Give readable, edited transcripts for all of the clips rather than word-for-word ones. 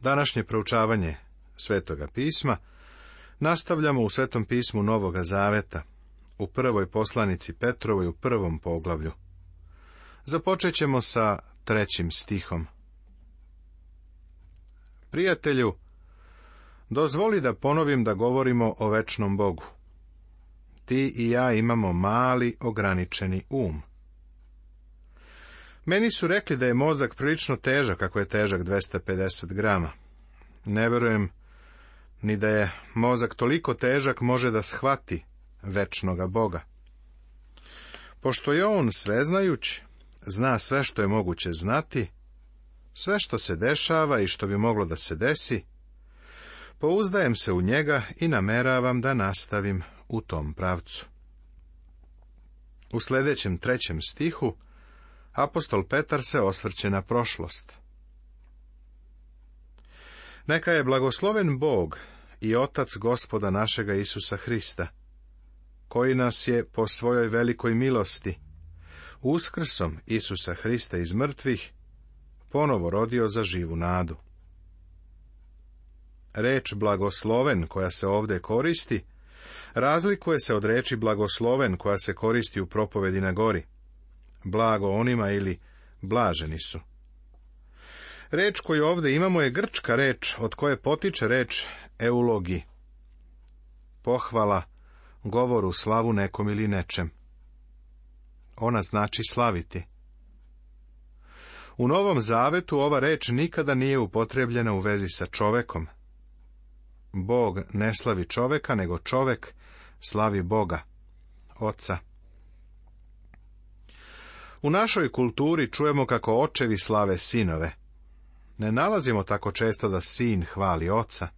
Današnje proučavanje Svetoga pisma nastavljamo u Svetom pismu Novoga Zaveta, u prvoj poslanici Petrovoj u 1. poglavlju. Započet ćemo sa 3. stihom. Prijatelju, dozvoli da ponovim da govorimo o večnom Bogu. Ti i ja imamo mali, ograničeni um. Meni su rekli da je mozak prilično težak, kako je težak 250 grama. Ne verujem ni da je mozak toliko težak može da shvati večnoga Boga. Pošto je on sveznajuć, zna sve što je moguće znati, sve što se dešava i što bi moglo da se desi, pouzdajem se u njega i nameravam da nastavim u tom pravcu. U sljedećem 3. stihu apostol Petar se osvrće na prošlost. Neka je blagosloven Bog i Otac Gospoda našega Isusa Hrista, koji nas je po svojoj velikoj milosti, uskrsom Isusa Hrista iz mrtvih, ponovo rodio za živu nadu. Reč blagosloven koja se ovdje koristi, razlikuje se od reči blagosloven koja se koristi u propovedi na gori. Blago onima ili blaženi su. Reč koju ovdje imamo je grčka reč od koje potiče reč eulogi. Pohvala, govoru, slavu nekom ili nečem. Ona znači slaviti. U Novom Zavetu ova reč nikada nije upotrebljena u vezi sa čovekom. Bog ne slavi čoveka, nego čovek slavi Boga, Oca. U našoj kulturi čujemo kako očevi slave sinove. Ne nalazimo tako često da sin hvali oca,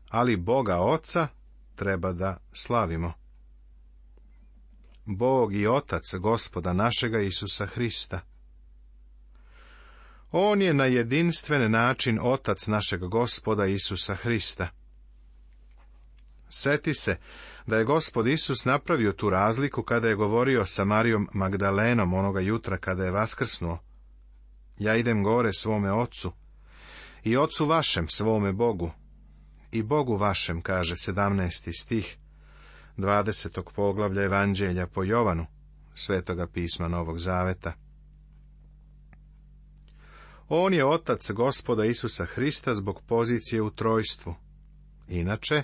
ali Boga Oca treba da slavimo. Bog i Otac Gospoda našega Isusa Hrista. On je na jedinstven način Otac našeg Gospoda Isusa Hrista. Seti se da je Gospod Isus napravio tu razliku kada je govorio sa Marijom Magdalenom onoga jutra kada je vaskrsnuo. Ja idem gore svome Ocu i Ocu vašem svome Bogu i Bogu vašem, kaže 17. stih 20. poglavlja Evanđelja po Jovanu, Svetoga pisma Novog Zaveta. On je Otac Gospoda Isusa Hrista zbog pozicije u trojstvu. Inače,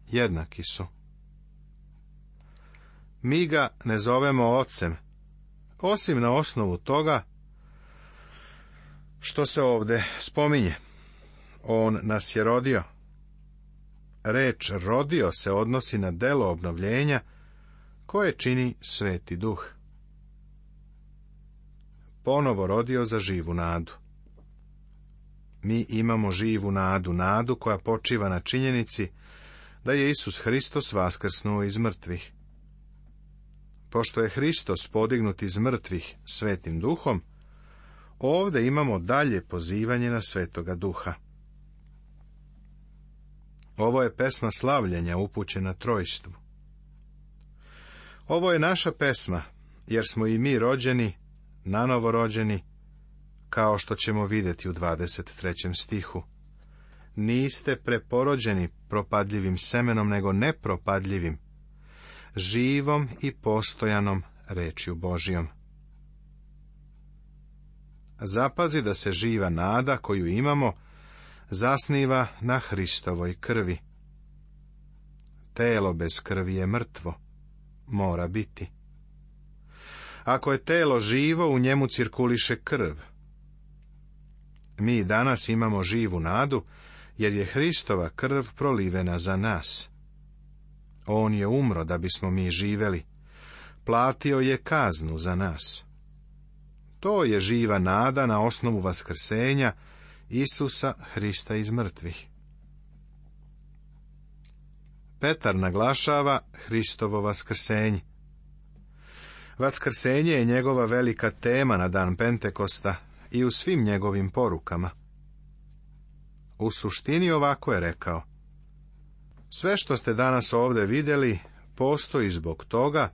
jednaki su. Mi ga ne zovemo Ocem, osim na osnovu toga što se ovdje spominje. On nas je rodio. Reč rodio se odnosi na delo obnovljenja koje čini Sveti Duh. Ponovo rodio za živu nadu. Mi imamo živu nadu, nadu koja počiva na činjenici da je Isus Hristos vaskrsnuo iz mrtvih. Pošto je Hristos podignut iz mrtvih Svetim Duhom, ovdje imamo dalje pozivanje na Svetoga Duha. Ovo je pesma slavljenja upućena trojstvu. Ovo je naša pesma, jer smo i mi rođeni, nanovo rođeni, kao što ćemo vidjeti u 23. stihu. Niste preporođeni propadljivim semenom, nego nepropadljivim, živom i postojanom rečju Božjom. Zapazi da se živa nada koju imamo zasniva na Hristovoj krvi. Telo bez krvi je mrtvo, mora biti. Ako je telo živo, u njemu cirkuliše krv. Mi danas imamo živu nadu, jer je Hristova krv prolivena za nas. On je umro da bismo mi živeli, platio je kaznu za nas. To je živa nada na osnovu vaskrsenja Isusa Hrista iz mrtvih. Petar naglašava Hristovo vaskrsenje. Vaskrsenje je njegova velika tema na dan Pentekosta i u svim njegovim porukama. U suštini ovako je rekao: sve što ste danas ovdje vidjeli postoji zbog toga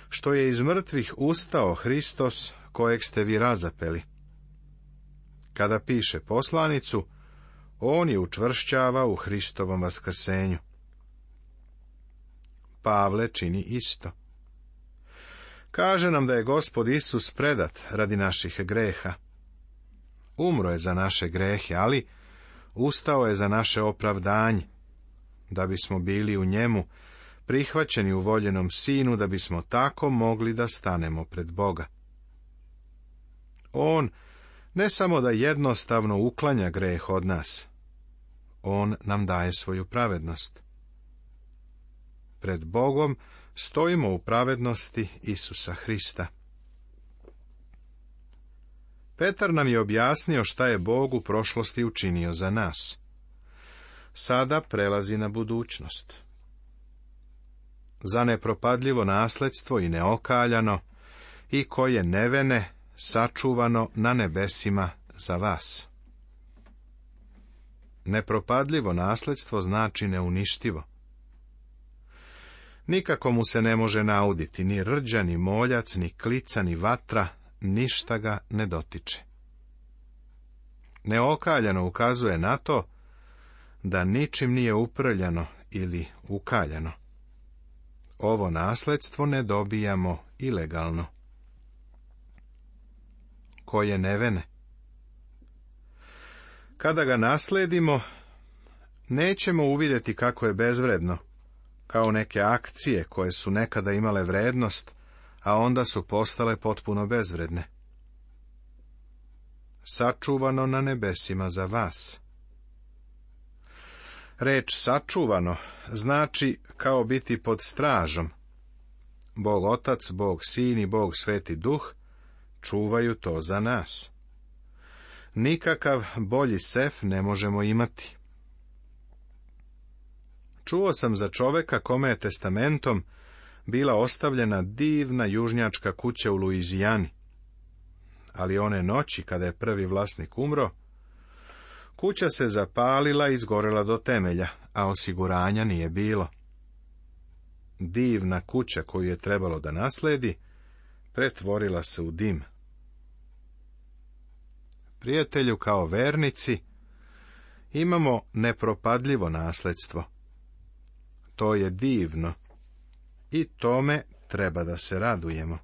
što je iz mrtvih ustao Hristos kojeg ste vi razapeli. Kada piše poslanicu, On je učvršćava u Hristovom vaskrsenju. Pavle čini isto. Kaže nam da je Gospod Isus predat radi naših greha. Umro je za naše grehe, ali ustao je za naše opravdanje, da bismo bili u njemu prihvaćeni u voljenom Sinu, da bismo tako mogli da stanemo pred Boga. On ne samo da jednostavno uklanja greh od nas, on nam daje svoju pravednost. Pred Bogom stojimo u pravednosti Isusa Hrista. Petar nam je objasnio šta je Bog u prošlosti učinio za nas. Sada prelazi na budućnost. Za nepropadljivo nasledstvo i neokaljano, i koje nevene, sačuvano na nebesima za vas. Nepropadljivo nasledstvo znači neuništivo. Nikako mu se ne može nauditi, ni rđa, ni moljac, ni klica, ni vatra, ništa ga ne dotiče. Neokaljano ukazuje na to da ničim nije uprljano ili ukaljano. Ovo nasledstvo ne dobijamo ilegalno. Koje nevene. Kada ga nasledimo, nećemo uvidjeti kako je bezvredno, kao neke akcije koje su nekada imale vrednost, a onda su postale potpuno bezvredne. Sačuvano na nebesima za vas. Reč sačuvano znači kao biti pod stražom. Bog Otac, Bog Sin i Bog Sveti Duh čuvaju to za nas. Nikakav bolji sef ne možemo imati. Čuo sam za čoveka kome je testamentom bila ostavljena divna južnjačka kuća u Luizijani. Ali one noći, kada je prvi vlasnik umro, kuća se zapalila i izgorela do temelja, a osiguranja nije bilo. Divna kuća koju je trebalo da nasledi, pretvorila se u dim. Prijatelju, kao vernici, imamo nepropadljivo nasledstvo. To je divno i tome treba da se radujemo.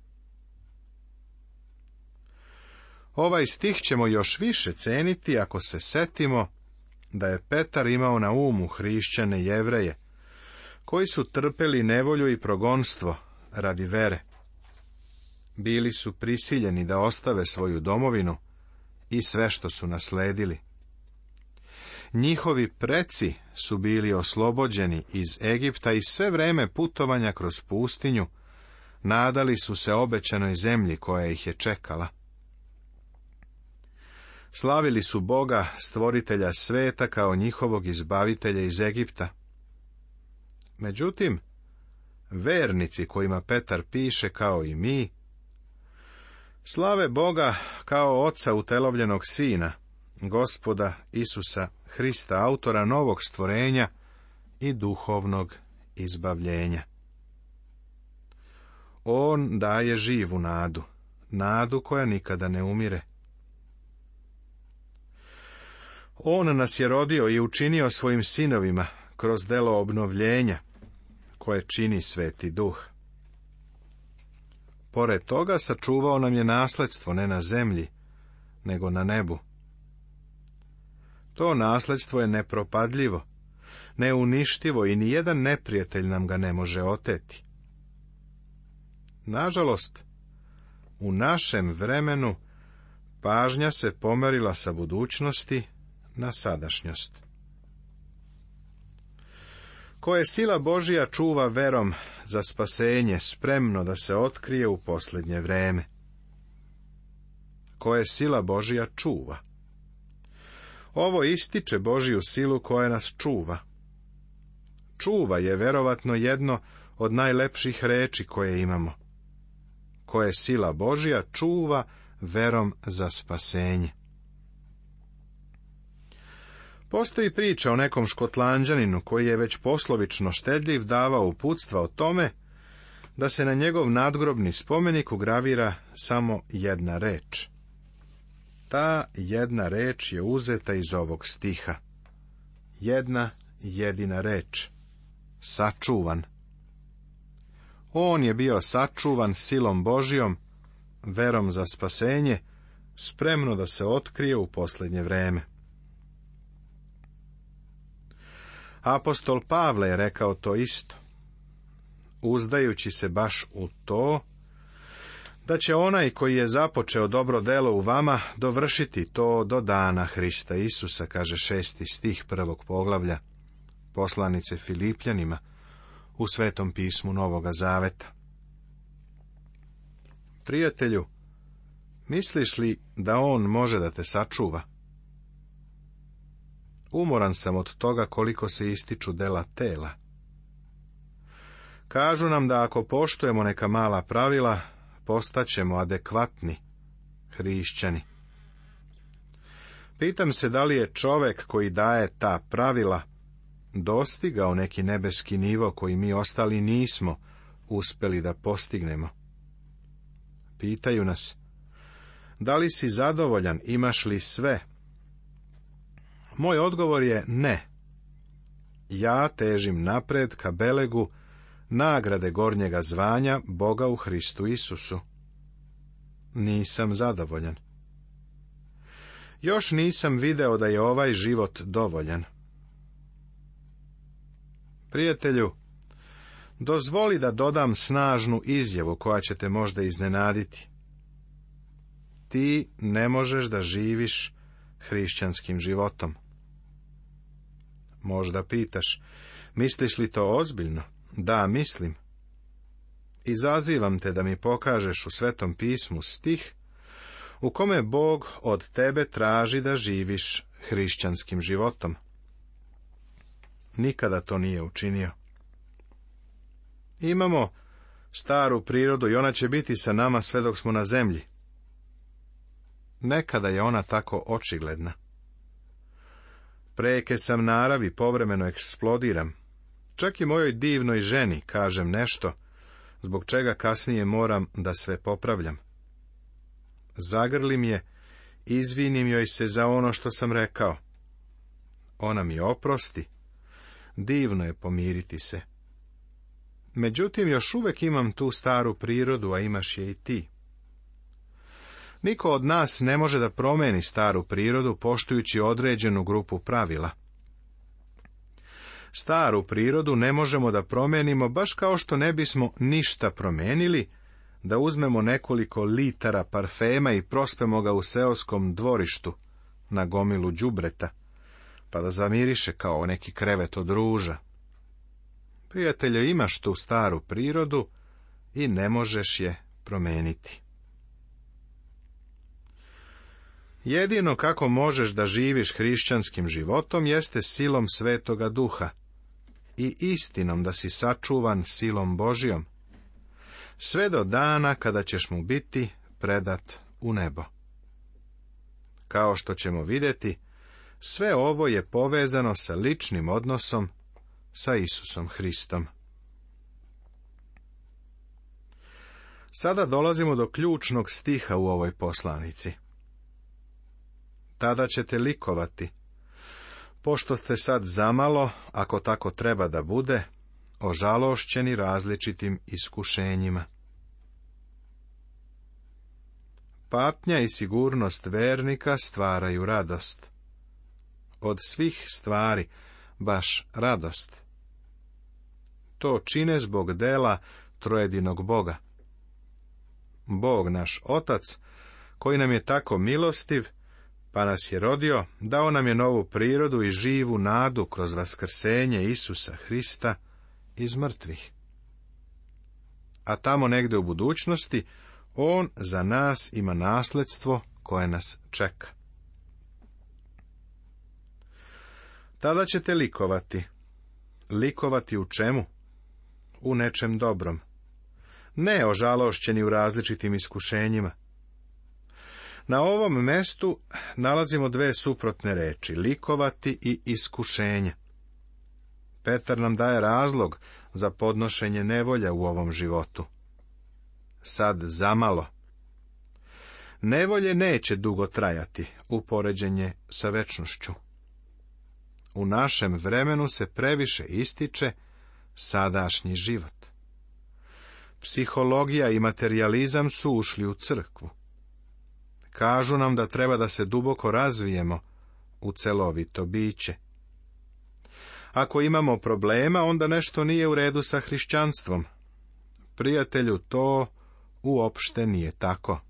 Ovaj stih ćemo još više ceniti ako se setimo da je Petar imao na umu hrišćane Jevreje, koji su trpeli nevolju i progonstvo radi vere. Bili su prisiljeni da ostave svoju domovinu i sve što su nasledili. Njihovi preci su bili oslobođeni iz Egipta i sve vreme putovanja kroz pustinju nadali su se obećanoj zemlji koja ih je čekala. Slavili su Boga, stvoritelja sveta, kao njihovog izbavitelja iz Egipta. Međutim, vernici kojima Petar piše, kao i mi, slave Boga kao Oca utelovljenog Sina, Gospoda Isusa Hrista, autora novog stvorenja i duhovnog izbavljenja. On daje živu nadu, nadu koja nikada ne umire. On nas je rodio i učinio svojim sinovima kroz delo obnovljenja, koje čini Sveti Duh. Pored toga sačuvao nam je nasledstvo ne na zemlji, nego na nebu. To nasledstvo je nepropadljivo, neuništivo i nijedan neprijatelj nam ga ne može oteti. Nažalost, u našem vremenu pažnja se pomerila sa budućnosti na sadašnjost. Koje sila Božja čuva verom za spasenje, spremno da se otkrije u posljednje vreme. Koje sila Božja čuva. Ovo ističe Božju silu koja nas čuva. Čuva je verovatno jedno od najlepših reči koje imamo. Koje sila Božja čuva verom za spasenje. Postoji priča o nekom Škotlanđaninu koji je već poslovično štedljiv davao uputstva o tome da se na njegov nadgrobni spomenik ugravira samo jedna reč. Ta jedna reč je uzeta iz ovog stiha. jedna jedina reč. Sačuvan. On je bio sačuvan silom Božijom, verom za spasenje, spremno da se otkrije u posljednje vreme. Apostol Pavle je rekao to isto, uzdajući se baš u to, da će onaj koji je započeo dobro delo u vama dovršiti to do dana Hrista Isusa, kaže 6. stih 1. poglavlja poslanice Filipljanima u Svetom pismu Novoga Zaveta. Prijatelju, misliš li da on može da te sačuva? Umoran sam od toga koliko se ističu dela tela. Kažu nam da ako poštujemo neka mala pravila, postaćemo adekvatni hrišćani. Pitam se da li je čovek koji daje ta pravila dostigao neki nebeski nivo koji mi ostali nismo uspeli da postignemo. Pitaju nas, da li si zadovoljan, imaš li sve? Moj odgovor je ne. Ja težim napred ka belegu nagrade gornjega zvanja Boga u Hristu Isusu. Nisam zadovoljan. Još nisam video da je ovaj život dovoljan. Prijatelju, dozvoli da dodam snažnu izjavu koja će te možda iznenaditi. Ti ne možeš da živiš hrišćanskim životom. Možda pitaš, misliš li to ozbiljno? Da, mislim. Izazivam te da mi pokažeš u Svetom pismu stih u kome Bog od tebe traži da živiš hrišćanskim životom. Nikada to nije učinio. Imamo staru prirodu i ona će biti sa nama sve dok smo na zemlji. Nekada je ona tako očigledna. Preke sam naravi, povremeno eksplodiram. Čak i mojoj divnoj ženi kažem nešto, zbog čega kasnije moram da sve popravljam. Zagrlim je, izvinim joj se za ono što sam rekao. Ona mi oprosti. Divno je pomiriti se. Međutim, još uvijek imam tu staru prirodu, a imaš je i ti. Niko od nas ne može da promeni staru prirodu poštujući određenu grupu pravila. Staru prirodu ne možemo da promenimo baš kao što ne bismo ništa promenili, da uzmemo nekoliko litara parfema i prospemo ga u seoskom dvorištu na gomilu đubreta, pa da zamiriše kao neki krevet od ruža. Prijatelju, imaš tu staru prirodu i ne možeš je promeniti. Jedino kako možeš da živiš hrišćanskim životom jeste silom Svetoga Duha i istinom da si sačuvan silom Božijom, sve do dana kada ćeš mu biti predat u nebo. Kao što ćemo vidjeti, sve ovo je povezano sa ličnim odnosom sa Isusom Hristom. Sada dolazimo do ključnog stiha u ovoj poslanici. Tada ćete likovati, pošto ste sad zamalo, ako tako treba da bude, ožalošćeni različitim iskušenjima. Patnja i sigurnost vernika stvaraju radost. Od svih stvari baš radost. To čine zbog dela trojedinog Boga. Bog naš Otac, koji nam je tako milostiv, pa nas je rodio, dao nam je novu prirodu i živu nadu kroz vaskrsenje Isusa Hrista iz mrtvih. A tamo negde u budućnosti, on za nas ima nasledstvo koje nas čeka. Tada ćete likovati. Likovati u čemu? U nečem dobrom. Ne ožalošćeni u različitim iskušenjima. Na ovom mestu nalazimo dve suprotne reči, likovati i iskušenje. Petar nam daje razlog za podnošenje nevolja u ovom životu. Sad zamalo. Nevolje neće dugo trajati, u poređenje sa večnošću. U našem vremenu se previše ističe sadašnji život. Psihologija i materijalizam su ušli u crkvu. Kažu nam da treba da se duboko razvijemo u celovito biće. Ako imamo problema, onda nešto nije u redu sa hrišćanstvom. Prijatelju, to uopšte nije tako.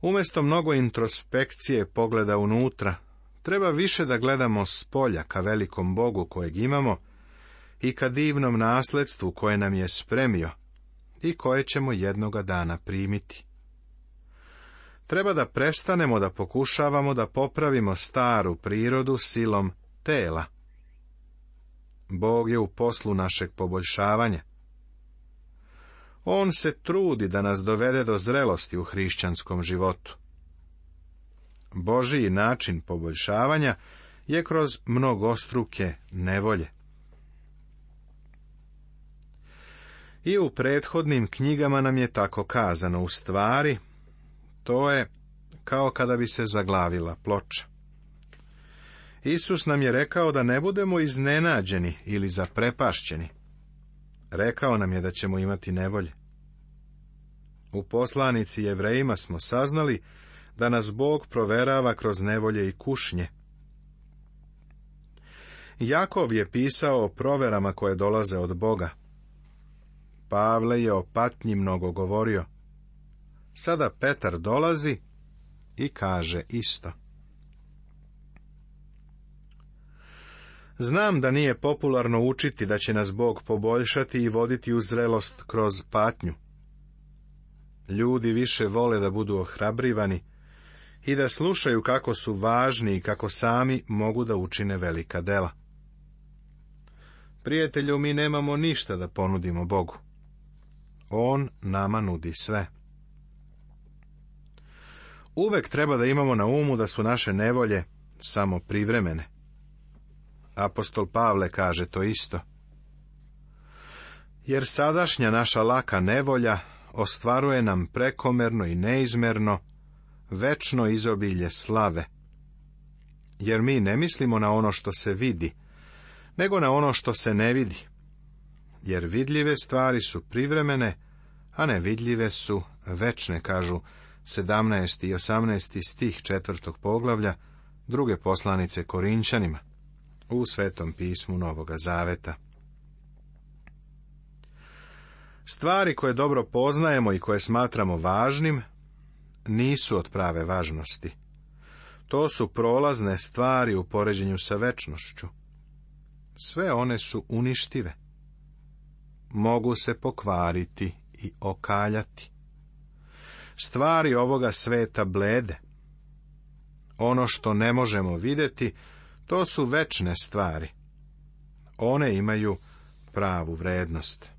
Umjesto mnogo introspekcije pogleda unutra, treba više da gledamo spolja ka velikom Bogu kojeg imamo i ka divnom nasledstvu koje nam je spremio i koje ćemo jednoga dana primiti. Treba da prestanemo da pokušavamo da popravimo staru prirodu silom tela. Bog je u poslu našeg poboljšavanja. On se trudi da nas dovede do zrelosti u hrišćanskom životu. Božiji način poboljšavanja je kroz mnogostruke nevolje. I u prethodnim knjigama nam je tako kazano, u stvari, to je kao kada bi se zaglavila ploča. Isus nam je rekao da ne budemo iznenađeni ili zaprepašćeni. Rekao nam je da ćemo imati nevolje. U poslanici Jevrejima smo saznali da nas Bog proverava kroz nevolje i kušnje. Jakov je pisao o proverama koje dolaze od Boga. Pavle je o patnji mnogo govorio. Sada Petar dolazi i kaže isto. Znam da nije popularno učiti da će nas Bog poboljšati i voditi u zrelost kroz patnju. Ljudi više vole da budu ohrabrivani i da slušaju kako su važni i kako sami mogu da učine velika dela. Prijatelju, mi nemamo ništa da ponudimo Bogu. On nama nudi sve. Uvek treba da imamo na umu da su naše nevolje samo privremene. Apostol Pavle kaže to isto. Jer sadašnja naša laka nevolja ostvaruje nam prekomerno i neizmerno večno izobilje slave. Jer mi ne mislimo na ono što se vidi, nego na ono što se ne vidi. Jer vidljive stvari su privremene, a nevidljive su večne, kažu 17. i 18. stih 4. poglavlja 2. poslanice Korinćanima u Svetom pismu Novoga Zaveta. Stvari koje dobro poznajemo i koje smatramo važnim, nisu od prave važnosti. To su prolazne stvari u poređenju sa večnošću. Sve one su uništive. Mogu se pokvariti i okaljati. Stvari ovoga sveta blede. Ono što ne možemo vidjeti, to su večne stvari. One imaju pravu vrednost.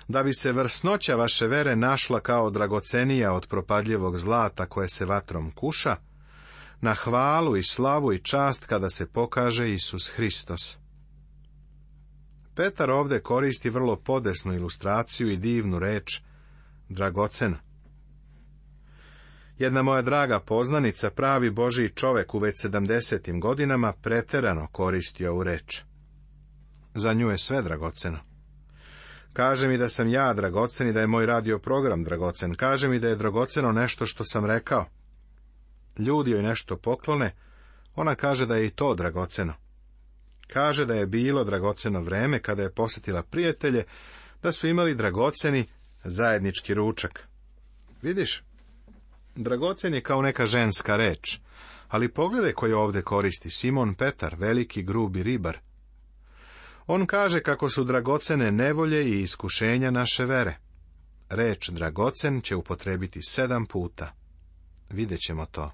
Da bi se vrsnoća vaše vere našla kao dragocenija od propadljivog zlata koje se vatrom kuša, na hvalu i slavu i čast kada se pokaže Isus Hristos. Petar ovdje koristi vrlo podesnu ilustraciju i divnu reč dragoceno. Jedna moja draga poznanica, pravi Božji čovek u već 70. godinama, preterano koristi ovu reč. Za nju je sve dragoceno. Kaže mi da sam ja dragocen i da je moj radio program dragocen. Kaže mi da je dragoceno nešto što sam rekao. Ljudi joj nešto poklone, ona kaže da je i to dragoceno. Kaže da je bilo dragoceno vreme kada je posjetila prijatelje, da su imali dragoceni zajednički ručak. Vidiš, dragocen je kao neka ženska reč, ali pogledaj koju ovdje koristi Simon Petar, veliki grubi ribar. On kaže kako su dragocene nevolje i iskušenja naše vere. Reč dragocen će upotrebiti 7 puta. Vidjet ćemo to.